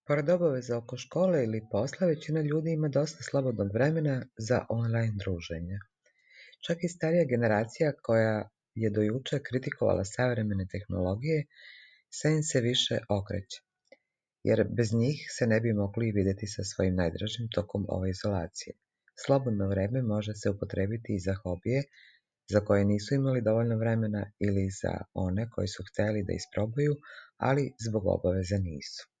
Pored obaveza oko škole ili posla, većina ljudi ima dosta slobodnog vremena za online druženje. Čak i starija generacija koja je do juče kritikovala savremene tehnologije, sve im se više okreće, jer bez njih se ne bi mogli vidjeti sa svojim najdražim tokom ove izolacije. Slobodno vreme može se upotrebiti i za hobije za koje nisu imali dovoljno vremena ili za one koji su hteli da isprobaju, ali zbog obaveza nisu.